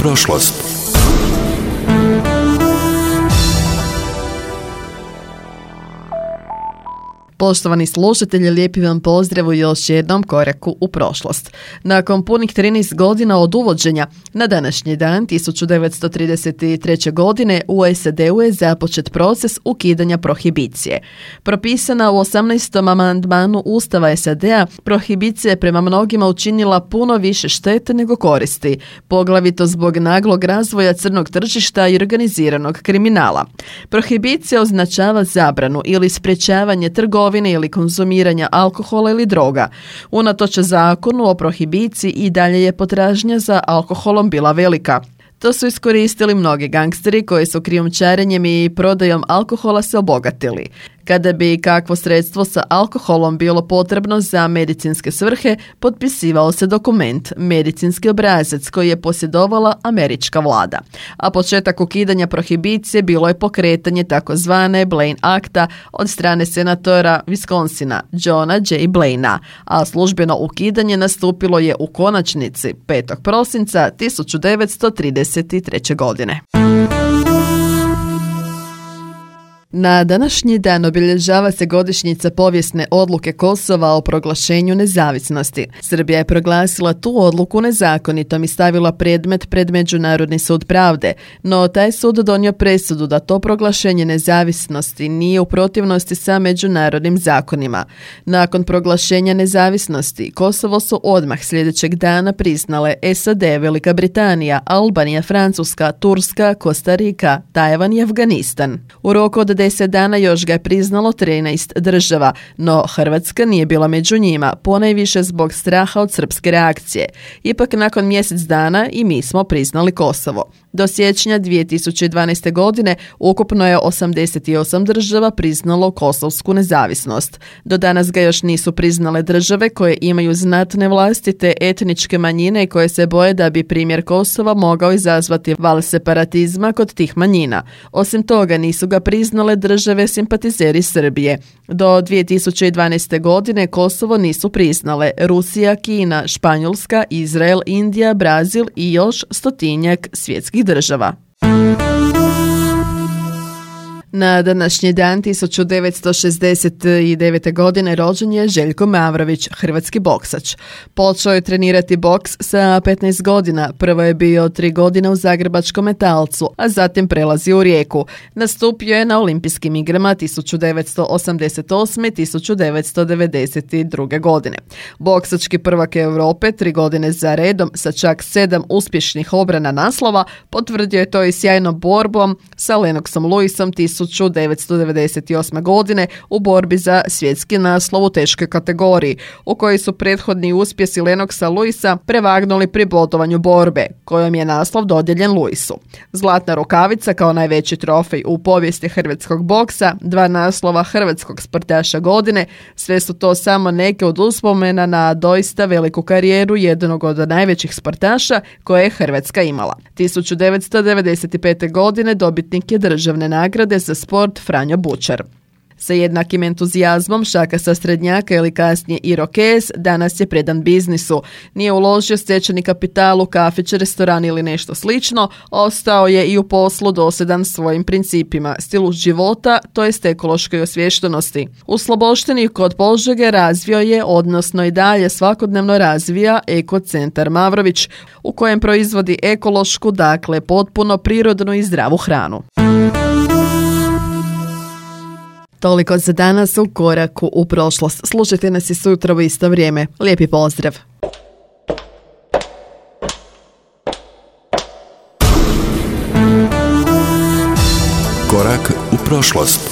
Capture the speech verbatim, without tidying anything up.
prošlost. Poštovani slušatelji, lijepi vam pozdrav u još jednom koraku u prošlost. Nakon punih trinaest godina od uvođenja, na današnji dan tisuću devetsto trideset treće. godine u S A D-u je započet proces ukidanja prohibicije. Propisana u osamnaestom amandmanu Ustava S A D-a, prohibicija je prema mnogima učinila puno više štete nego koristi, poglavito zbog naglog razvoja crnog tržišta i organiziranog kriminala. Prohibicija označava zabranu ili sprječavanje trgovine ili konzumiranja alkohola ili droga. Unatoč zakonu o prohibiciji i dalje je potražnja za alkoholom bila velika. To su iskoristili mnogi gangsteri koji su krijumčarenjem i prodajom alkohola se obogatili. Kada bi kakvo sredstvo sa alkoholom bilo potrebno za medicinske svrhe, potpisivao se dokument, medicinski obrazac koji je posjedovala američka vlada. A početak ukidanja prohibicije bilo je pokretanje takozvane Blaine Akta od strane senatora Wisconsina, Johna J. Blainea, a službeno ukidanje nastupilo je u konačnici petog prosinca tisuću devetsto trideset treće. godine. Na današnji dan obilježava se godišnjica povijesne odluke Kosova o proglašenju nezavisnosti. Srbija je proglasila tu odluku nezakonitom i stavila predmet pred Međunarodni sud pravde, no taj sud donio presudu da to proglašenje nezavisnosti nije u protivnosti sa međunarodnim zakonima. Nakon proglašenja nezavisnosti, Kosovo su odmah sljedećeg dana priznale S A D, Velika Britanija, Albanija, Francuska, Turska, Kostarika, Tajvan i Afganistan. U roku od deset dana još ga je priznalo trinaest država, no Hrvatska nije bila među njima, ponajviše zbog straha od srpske reakcije. Ipak nakon mjesec dana i mi smo priznali Kosovo. Do siječnja dvije tisuće dvanaeste. godine ukupno je osamdeset osam država priznalo kosovsku nezavisnost. Do danas ga još nisu priznale države koje imaju znatne vlastite etničke manjine i koje se boje da bi primjer Kosova mogao izazvati val separatizma kod tih manjina. Osim toga nisu ga priznale države simpatizeri Srbije. Do dvije tisuće dvanaeste. godine Kosovo nisu priznale Rusija, Kina, Španjolska, Izrael, Indija, Brazil i još stotinjak svjetskih država. Na današnji dan tisuću devetsto šezdeset devete. godine rođen je Željko Mavrović, hrvatski boksač. Počeo je trenirati boks sa petnaest godina, prvo je bio tri godine u zagrebačkom Metalcu, a zatim prelazi u Rijeku. Nastupio je na olimpijskim igrama tisuću devetsto osamdeset osme. i tisuću devetsto devedeset druge. godine. Boksački prvak Europe tri godine za redom sa čak sedam uspješnih obrana naslova potvrdio je to i sjajnom borbom sa Lennoxom Lewisom tisuću devetsto devedeset osme. godine u borbi za svjetski naslov u teškoj kategoriji, u kojoj su prethodni uspjesi Lennoxa Lewisa prevagnuli pri bodovanju borbe, kojom je naslov dodijeljen Lewisu. Zlatna rukavica kao najveći trofej u povijesti hrvatskog boksa, dva naslova hrvatskog sportaša godine, sve su to samo neke od uspomena na doista veliku karijeru jednog od najvećih sportaša koje je Hrvatska imala. tisuću devetsto devedeset pete. godine dobitnik je državne nagrade za sport Franjo Bučar. Sa jednakim entuzijazmom šaka sa Strednjaka ili kasnije Irokez danas je predan biznisu. Nije uložio stečeni kapital u kafić, restoran ili nešto slično, ostao je i u poslu dosljedan svojim principima, stilu života, to jest ekološkoj osviještenosti. U Sloboštini kod Požege razvio je, odnosno i dalje svakodnevno razvija Ekocentar Mavrović, u kojem proizvodi ekološku, dakle potpuno prirodnu i zdravu hranu. Toliko za danas u koraku u prošlost. Slušajte nas i sutra u isto vrijeme. Lijepi pozdrav! Korak u prošlost.